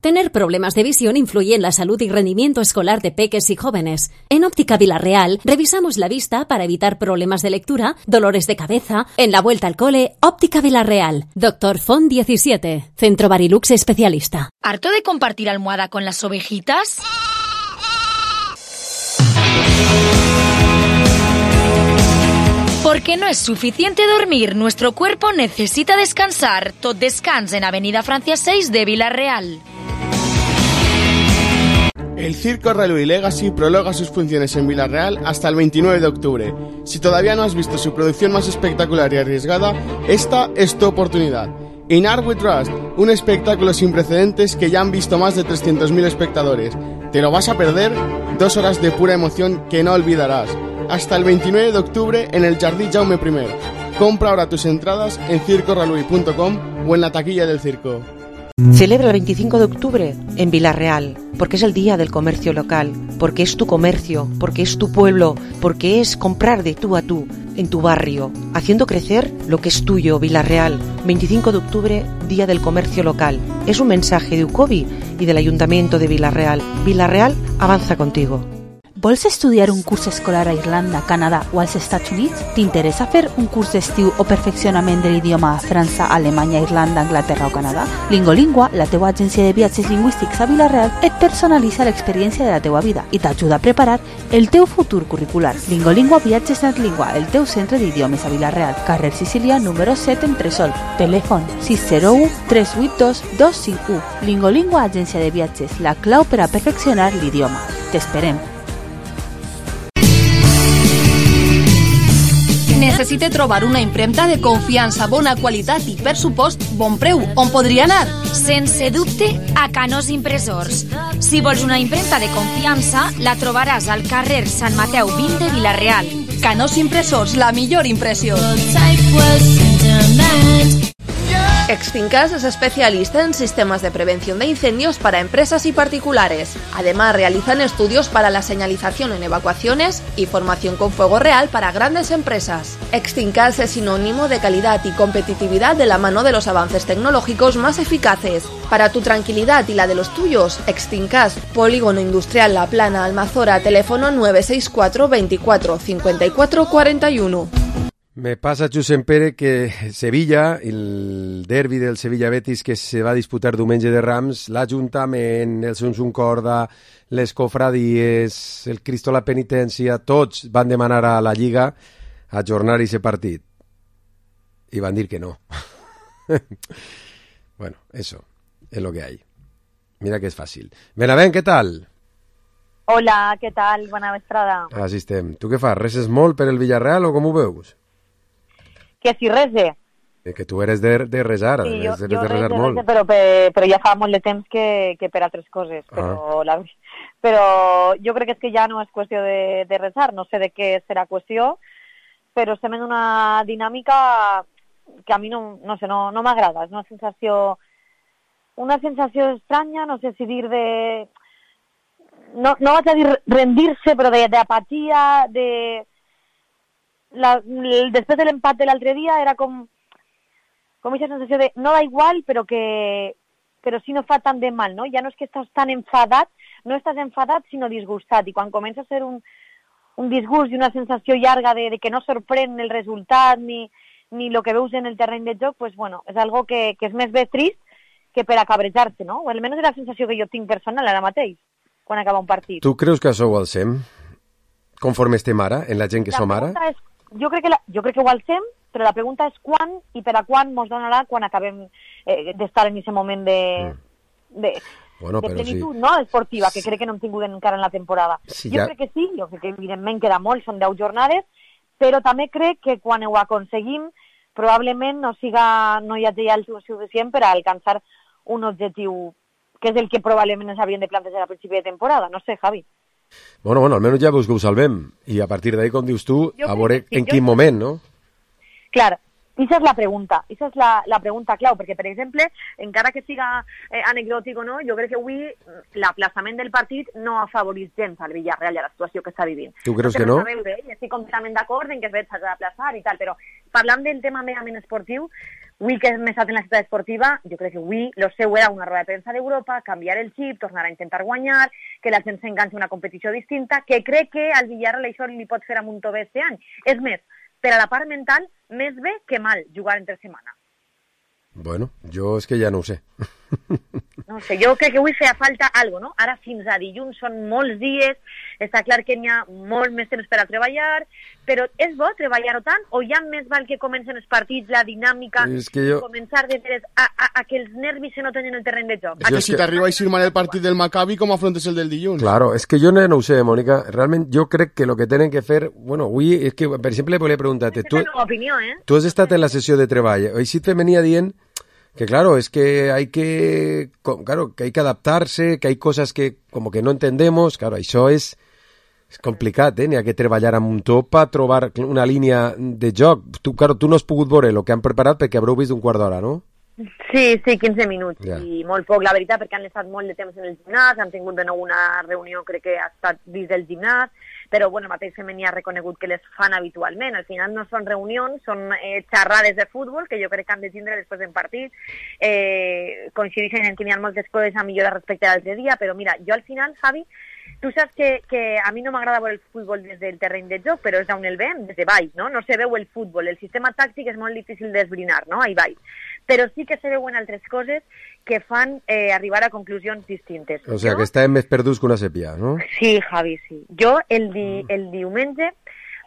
Tener problemas de visión influye en la salud y rendimiento escolar de peques y jóvenes. En Óptica Vilarreal revisamos la vista para evitar problemas de lectura, dolores de cabeza. En la vuelta al cole, Óptica Vilarreal. Doctor Font diecisiete. Centro Barilux especialista. ¿Harto de compartir almohada con las ovejitas? Porque no es suficiente dormir, nuestro cuerpo necesita descansar. Tot Descans en Avenida Francia seis de Vilarreal. El Circo Railway Legacy prolonga sus funciones en Vilarreal hasta el veintinueve de octubre. Si todavía no has visto su producción más espectacular y arriesgada, esta es tu oportunidad. In Art We Trust, un espectáculo sin precedentes que ya han visto más de trescientos mil espectadores. ¿Te lo vas a perder? Dos horas de pura emoción que no olvidarás. Hasta el veintinueve de octubre en el Jardí Jaume primero. Compra ahora tus entradas en circo railway punto com o en la taquilla del circo. Celebra el veinticinco de octubre en Vilarreal, porque es el día del comercio local, porque es tu comercio, porque es tu pueblo, porque es comprar de tú a tú, en tu barrio, haciendo crecer lo que es tuyo. Vilarreal, veinticinco de octubre, Día del Comercio Local. Es un mensaje de UCOBI y del Ayuntamiento de Vilarreal. Vilarreal avanza contigo. Vols estudiar un curs escolar a Irlanda, Canadà o als Estats Units? T'interessa fer un curs d'estiu o perfeccionament de l'idioma a França, Alemanya, Irlanda, Anglaterra o Canadà? Lingolingua, la teua agència de viatges lingüístics a Vilarreal, et personalitza l'experiència de la teua vida i t'ajuda a preparar el teu futur curricular. Lingolingua Viatges Natlingua, el teu centre d'idiomes a Vilarreal, carrer Sicília, número set, Entresol. Telèfon sis zero u tres vuit dos dos cinc u. Lingolingua, agència de viatges, la clau per a perfeccionar l'idioma. T'esperem. Necessite trobar una impremta de confiança, bona qualitat i, per supost, bon preu. On podria anar? Sense dubte, a Canós Impressors. Si vols una impremta de confiança, la trobaràs al carrer Sant Mateu vint de Vilarreal. Canós Impressors, la millor impressió. Extincas es especialista en sistemas de prevención de incendios para empresas y particulares. Además, realizan estudios para la señalización en evacuaciones y formación con fuego real para grandes empresas. Extincas es sinónimo de calidad y competitividad de la mano de los avances tecnológicos más eficaces. Para tu tranquilidad y la de los tuyos, Extincas, Polígono Industrial La Plana, Almazora, teléfono nueve seis cuatro veinticuatro cincuenta y cuatro cuarenta y uno. Me pasa, Josep Pere, que Sevilla, el derbi del Sevilla-Betis que se va a disputar diumenge de Rams, l'Ajuntament, el Sunsun Corda, les cofradies, el Cristo la Penitència, tots van demanar a la Lliga ajornar ese partit. Y van a decir que no. Bueno, eso es lo que hay. Mira que es fàcil. Benavent, què tal? Hola, què tal? Bona vesprada. Així estem. Tu què fas? Reses molt per el Villarreal o com ho veus? Que si rese. Eh, que tu eres de, de resar, Sí, jo, eres de jo resar rese, molt. rese, però, per, però ja fa molt de temps que, que per altres coses. Però, Ah. la, però jo crec que és que ja no és qüestió de, de resar, no sé de què serà qüestió, però estem en una dinàmica que a mi no, no sé, no, no m'agrada. És una sensació, una sensació estranya, no sé si dir de... No, no vaig a dir rendir-se, però d'apatia, de... La, el, després de l'empat de l'altre dia era com com aquesta sensació de no da igual però que però si no fa tant de mal, no? Ja no és que estàs tan enfadat, no estàs enfadat sinó disgustat, i quan comença a ser un, un disgust i una sensació llarga de, de que no sorprèn el resultat ni, ni el que veus en el terreny de joc, pues bueno, és algo que, que és més bé trist que per a cabrejar-se, no? O almenys és la sensació que jo tinc personal ara mateix quan acaba un partit. Tu creus que això ho alcem? Conforme estem ara, en la gent que La som ara? pregunta és, jo, crec que la, jo crec que ho alcem, però la pregunta és quan i per a quan mos donarà quan acabem eh, d'estar en aquest moment de, mm. de, bueno, de però plenitud, sí. no? Esportiva, que crec que no hem tingut encara en la temporada. Sí, jo ja... crec que sí, jo crec que evidentment queda molt, són deu jornades, però també crec que quan ho aconseguim probablement no, siga, no hi hagi el suficient per a alcançar un objectiu que és el que probablement ens havien de plantejar a principi de temporada. No sé, Javi. Bueno, bueno, almenys ja veus que ho salvem. I a partir d'ahí, com dius tu, Jo a veure crec que sí, en jo quin crec- moment, no? Clar, Esa és la pregunta, esa és la, la pregunta clau, perquè, per exemple, encara que siga eh, anecdòtic o no, jo crec que avui l'aplaçament del partit no ha afavorit gens al Villarreal i a la situació que està vivint. Tu creus no que no? Veure, eh? Estic completament d'acord en que es s'ha d'aplaçar i tal, però parlant del tema merament esportiu, avui que hem estat en la ciutat esportiva, jo crec que avui lo seu era una roda de premsa d'Europa, canviar el xip, tornar a intentar guanyar, que la gent s'enganxa a una competició distinta, que crec que al Villarreal això li pot fer amunt o bé este any. És més, per a la part mental, més bé que mal jugar entre setmana. Bueno, jo és que ja no ho sé. No sé, jo crec que avui feia falta algo, no? Ara fins a dilluns són molts dies, està clar que n'hi ha molt més temps per a treballar, però és bo treballar-ho tant o ja més val que comencen els partits, la dinàmica, És que jo- començar de veres a, a, a que els nervis se noten en el terreny de joc? A que si t'arriba a ir mal el partit del Maccabi, com afrontes el del dilluns? Claro, és que jo no, no ho sé, Mònica. Realment jo crec que el que tenen que fer... Bueno, avui, és que, per exemple, volia preguntar-te... Tu, És la meva opinió, eh? tu has estat en la sessió de treball. Així te venia dient que, claro, es que hay que... co- Claro, que hay que adaptarse, que hay cosas que como que no entendemos. Claro, això és... És complicat, eh? N'hi ha que treballar amb un top per trobar una línia de joc. Tu, claro, tu no has pogut veure el que han preparat perquè haureu vist un quart d'hora, no? Sí, sí, quinze minuts, Ja. i molt poc, la veritat, perquè han estat molt de temps en el gimnàs, han tingut de nou una reunió, crec que ha estat dins del gimnàs, però bueno, el mateix femení ha reconegut que les fan habitualment. Al final no són reunions, són eh, xerrades de futbol, que jo crec que han de tindre després d'un partit, eh, coincideixen en que hi ha moltes coses a millorar respecte a l'altre dia, però mira, jo al final, Javi, tu saps que, que a mi no m'agrada veure el futbol des del terreny de joc, però és d'on el veiem, des de baix, no? No se veu el futbol, el sistema tàctic és molt difícil d'esbrinar, no? Ahí baix. Però sí que se veuen altres coses que fan eh, arribar a conclusions distintes. O sea, que estàvem més perduts que una sèpia, no? Sí, Javi, sí. Jo el, di, el diumenge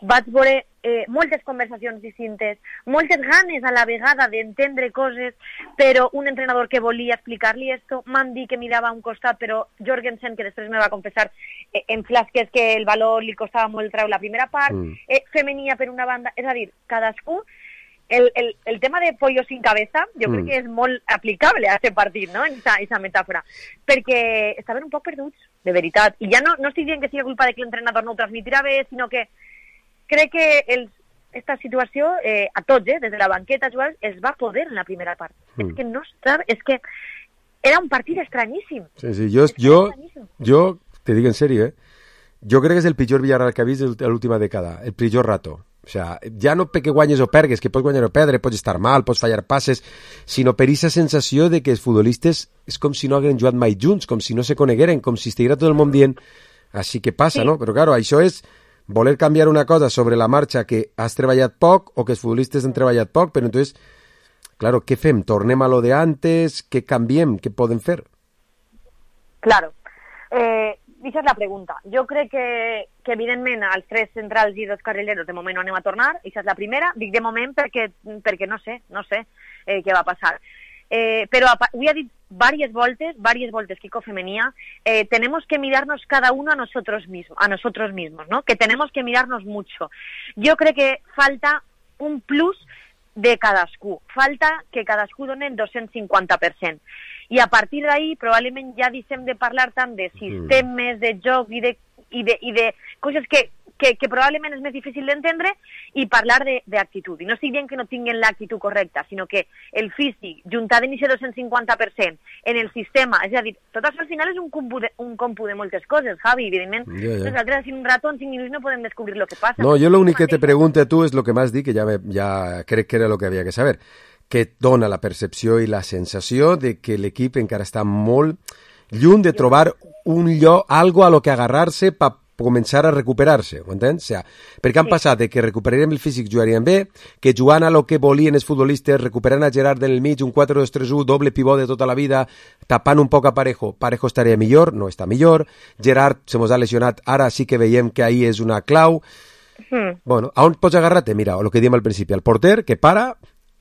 vaig veure eh, moltes conversacions distintes, moltes ganes a la vegada d'entendre coses, però un entrenador que volia explicar-li esto, m'han dit que mirava a un costat, però Jorgensen, que després me va confessar eh, en flasques que el valor li costava molt treure la primera part, Mm. eh, femenia per una banda, és a dir, cadascú. El, el, el tema de pollo sin cabeza, jo Mm. crec que és molt aplicable a aquest partit, no?, en aquesta metàfora, perquè estaven un poc perduts, de veritat, i ja no, no estic dient que sigui culpa de que l'entrenador no ho transmitirà bé, sinó que crec que els, esta situació eh, a tots, eh, des de la banqueta, jugadors, es va poder en la primera part. Mm. És que no estava... És que era un partit estranyíssim. Sí, sí, jo, jo, jo te dic en sèrio, eh? Jo crec que és el pitjor Villarreal que ha vist de l'última dècada, el pitjor rato. O sea, ja no perquè guanyes o pergues, que pots guanyar o perdre, pots estar mal, pots fallar passes, sinó per aquesta sensació de que els futbolistes és com si no hagueren jugat mai junts, com si no se conegueren, com si estiguera tot el món dient així que passa, sí. No? Però, claro, això és voler canviar una cosa sobre la marxa que has treballat poc o que els futbolistes han treballat poc, però entonces, claro, què fem? Tornem a lo de antes? Què canviem? Què podem fer? Claro. Eh, Això és la pregunta. Jo crec que, que evidentment, els tres centrals i dos carrileros de moment no anem a tornar, això és la primera. Dic de moment perquè, perquè no sé, no sé eh, què va passar. Eh, però avui ha dit varias voltes, varias voltes Kiko Femenía, eh, tenemos que mirarnos cada uno a nosotros mismos, a nosotros mismos, ¿no? Que tenemos que mirarnos mucho. Jo crec que falta un plus de cadascú. Falta que cadascú doni el dos-cents cinquanta per cent. I a partir d'ahí probablement ja deixem de parlar tant de sistemes, de joc i de, i de, i de coses que, que, que probablement és més difícil d'entendre i parlar d'actitud. I no estic dient que no tinguin l'actitud correcta, sinó que el físic, juntat en aquest dos-cents cinquanta per cent en el sistema, és a dir, tot això al final és un compu de, un compu de moltes coses, Javi, evidentment. Ja, ja. Nosaltres en un rato, en cinc minuts, no podem descobrir el que passa. No, jo l'únic que te pregunto a tu és el que m'has dit, que ja, me, ja crec que era el que havia que saber, que et dona la percepció i la sensació de que l'equip encara està molt lluny de trobar un lloc, algo a lo que agarrar-se per començar a recuperar-se, ho entens? O sea, perquè han sí. passat de que recuperarem el físic, jugaríem bé, que jugant a lo que volien els futbolistes, recuperant a Gerard en el mig, un quatre dos tres u, doble pivot de tota la vida, tapant un poc a Parejo, Parejo estaria millor, no està millor, Gerard se mos ha lesionat, ara sí que veiem que ahí és una clau. Mm. Bueno, a on pots agarrar-te? Mira, el que diem al principi, el porter, que para,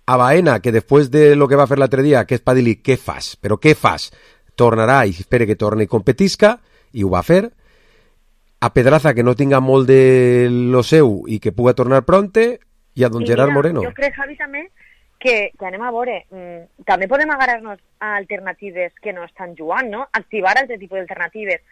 a Baena, que després de lo que va fer l'altre dia, que és per dir-li, què fas? Però què fas? Tornarà i espera que torni i competisca, i ho va fer. A Pedraza, que no tinga molt de lo seu i que puga tornar pronte, i a don I Gerard mira, Moreno. Jo crec, Javi, també, que, que anem a veure, mmm, també podem agarrar-nos a alternatives que no estan jugant, no? Activar altre tipus d'alternatives.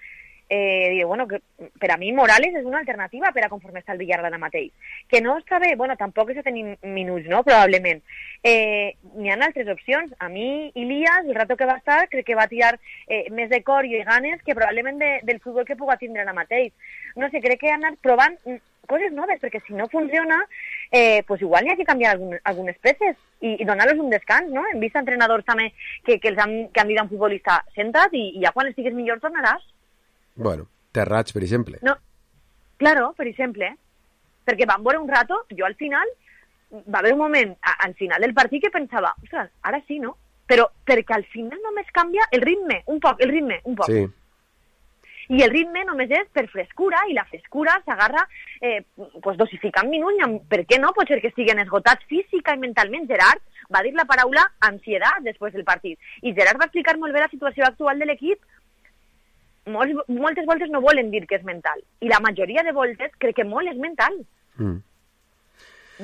Eh, diu, bueno, que per a mi Morales és una alternativa per a conforme està el Villarreal ara mateix. Que no està bé, bueno, tampoc és a tenir minuts, no?, probablement. Eh, n'hi ha altres opcions. A mi, Ilias, el rato que va estar, crec que va tirar eh, més de cor i ganes que probablement de, del futbol que puga tindre ara mateix. No sé, crec que han anat provant coses noves, perquè si no funciona, eh, pues igual n'hi ha que canviar algun, algunes peces i, i donar-los un descans, no? Hem vist entrenadors també que, que, els han, que han dit a un futbolista, senta't i, i ja quan estigues millor tornaràs. Bueno, Terrats, per exemple. No, claro, per exemple, perquè van veure un rato, jo al final, va haver un moment, a, al final del partit que pensava, ostres, ara sí, no? Però perquè al final només canvia el ritme, un poc, el ritme, un poc. Sí. I el ritme només és per frescura, i la frescura s'agarra eh, pues dosificant minuts, per què no? Pot ser que estiguen esgotats física i mentalment. Gerard va dir la paraula ansietat després del partit, i Gerard va explicar molt bé la situació actual de l'equip. Molts, moltes voltes no volen dir que és mental, i la majoria de voltes crec que molt és mental. Mm.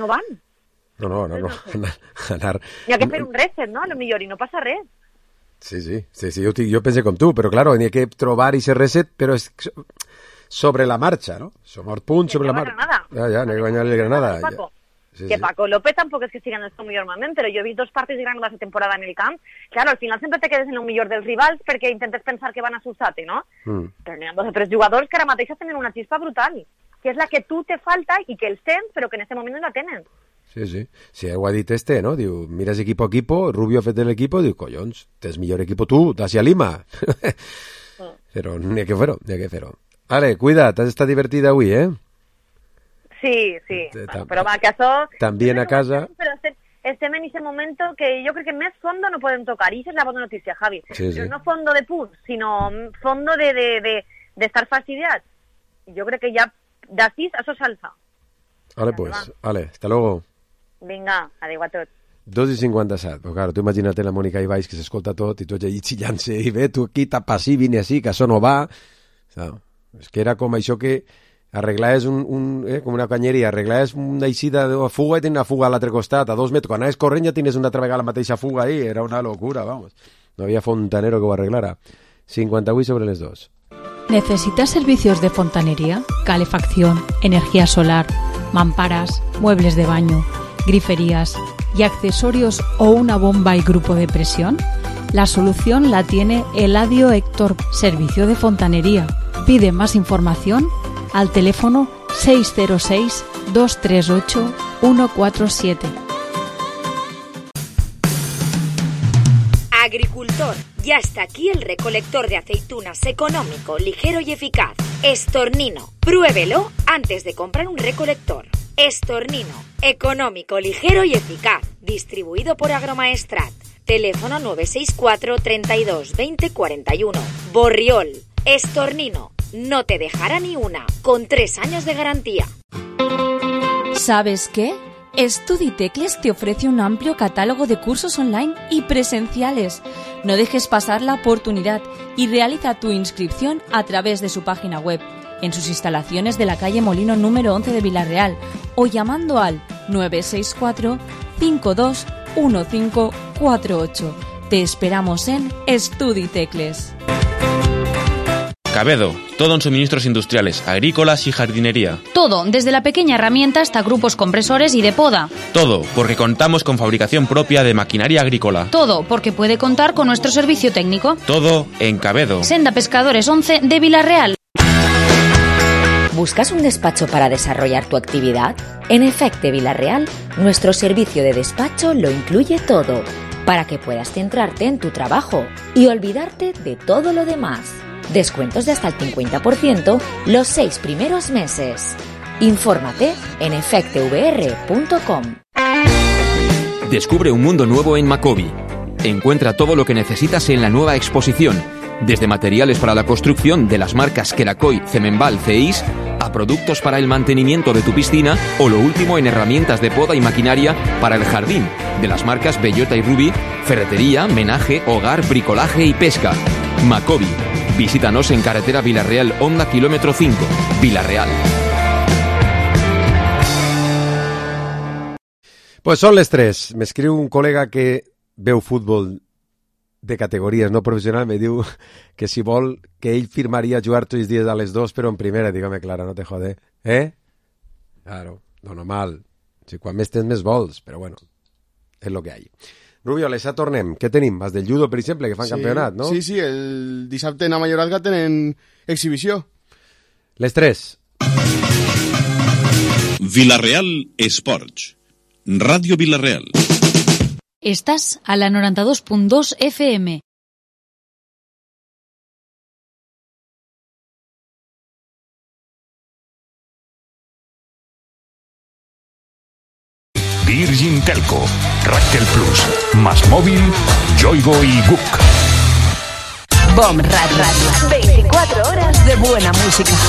No van. No, no, no, no. Anar, anar... Hi ha que fer un reset, no? A lo millor, i no passa res. Sí, sí, sí, sí, jo, jo pensé com tu, però claro, n'hi ha que trobar ese reset, però és sobre la marxa, no? Som el punt sobre la marxa. Ja, ja, n'hi ha que guanyar el Granada. Ja. Sí, que sí. Paco López tampoc és que siga en el seu millor moment, però jo he vist dos partits de Granada aquesta temporada en el camp. Claro, al final sempre te quedes en el millor dels rivals perquè intentes pensar que van a assustar-te, no? Mm. Però n'hi ha dos o tres jugadors que ara mateix tenen una xispa brutal, que és la que tu te falta i que els tens, però que en aquest moment no la tenen. Sí, sí. Sí, ho ha dit este, no? Diu, miras equipo a equipo, Rubio ha fet l'equipo, diu, collons, tens millor equipo tu, d'Asia Lima. Mm. Però n'hi ha que fer-ho, n'hi ha que fer-ho. Ale, cuida't, has estat divertida avui, eh? Sí, sí, bueno, però va, que això... También a casa... Però estem en ese momento que jo crec que més fondo no podem tocar, i això és la bona notícia, Javi. Sí, sí. Però no fondo de punts, sinó fondo de, de, de, de estar fastidiats. Jo crec que ja d'ací això s'alça. Vale, pues, vale, hasta luego. Vinga, adéu a tots. dos i cinquanta-set, però claro, tu imagina't la Mònica Ibáix que s'escolta tot i tu allà xillant-se i ve, tu aquí tapa així, vine així, que això no va. No, és que era com això que arreglaves un, un, eh, com una canyeria, arreglaves una eixida de fuga i tenies una fuga a l'altre costat, a dos metres. Quan anaves corrent ja tenies una altra vegada la mateixa fuga ahí, era una locura, vamos. No había fontanero que ho arreglara. cincuenta-vuit sobre les dos. ¿Necesitas servicios de fontanería, calefacción, energía solar, mamparas, muebles de baño, griferías y accesorios o una bomba y grupo de presión? La solución la tiene Eladio Héctor, servicio de fontanería. Pide más información al teléfono seis cero seis, dos tres ocho, uno cuatro siete. Agricultor, ya está aquí el recolector de aceitunas económico, ligero y eficaz. Estornino, pruébelo antes de comprar un recolector. Estornino, económico, ligero y eficaz. Distribuido por Agromaestrat. Teléfono nueve seis cuatro, treinta y dos, veinte, cuarenta y uno. Borriol, Estornino, no te dejará ni una, con tres años de garantía. ¿Sabes qué? StudiTecles te ofrece un amplio catálogo de cursos online y presenciales. No dejes pasar la oportunidad y realiza tu inscripción a través de su página web, en sus instalaciones de la calle Molino número once de Vilarreal o llamando al nueve seis cuatro, cinco dos uno cinco cuatro ocho. Te esperamos en StudiTecles. Cabedo, todo en suministros industriales, agrícolas y jardinería. Todo, desde la pequeña herramienta hasta grupos compresores y de poda. Todo, porque contamos con fabricación propia de maquinaria agrícola. Todo, porque puede contar con nuestro servicio técnico. Todo en Cabedo. Senda Pescadores once de Vilarreal. ¿Buscas un despacho para desarrollar tu actividad? En Efecte Vilarreal, nuestro servicio de despacho lo incluye todo, para que puedas centrarte en tu trabajo y olvidarte de todo lo demás. Descuentos de hasta el cincuenta por ciento los seis primeros meses. Infórmate en efecte v r punto com. Descubre un mundo nuevo en Macobi. Encuentra todo lo que necesitas en la nueva exposición, desde materiales para la construcción de las marcas Kerakoy, Cemenbal, Ceis, a productos para el mantenimiento de tu piscina o lo último en herramientas de poda y maquinaria para el jardín, de las marcas Bellota y Ruby, ferretería, menaje, hogar, bricolaje y pesca. Macobi. Visítanos en carretera Vilarreal Honda kilómetro cinco, Vilarreal. Pues són les tres. M'escriu un col·lega que veu futbol de categories no professional, me diu que si vol que ell firmaria jugar tots els dies a les dos, però en primera. Dígame, Clara, no te jode. Eh? Claro, no normal. Si quan més tens més vols, però bueno, és lo que hay. Rubio, les tornem. Què tenim? Els del judo, per exemple, que fan sí, campionat, no? Sí, sí, el dissabte a Mallorca tenen exhibició. Les tres. Vilarreal Esports. Radio Vilarreal. Estás a la noranta dos punt dos F M. Virgin Telco, Ractel Plus, Más Móvil, Yoigo y Book. Bomb Radio. veinticuatro horas de buena música.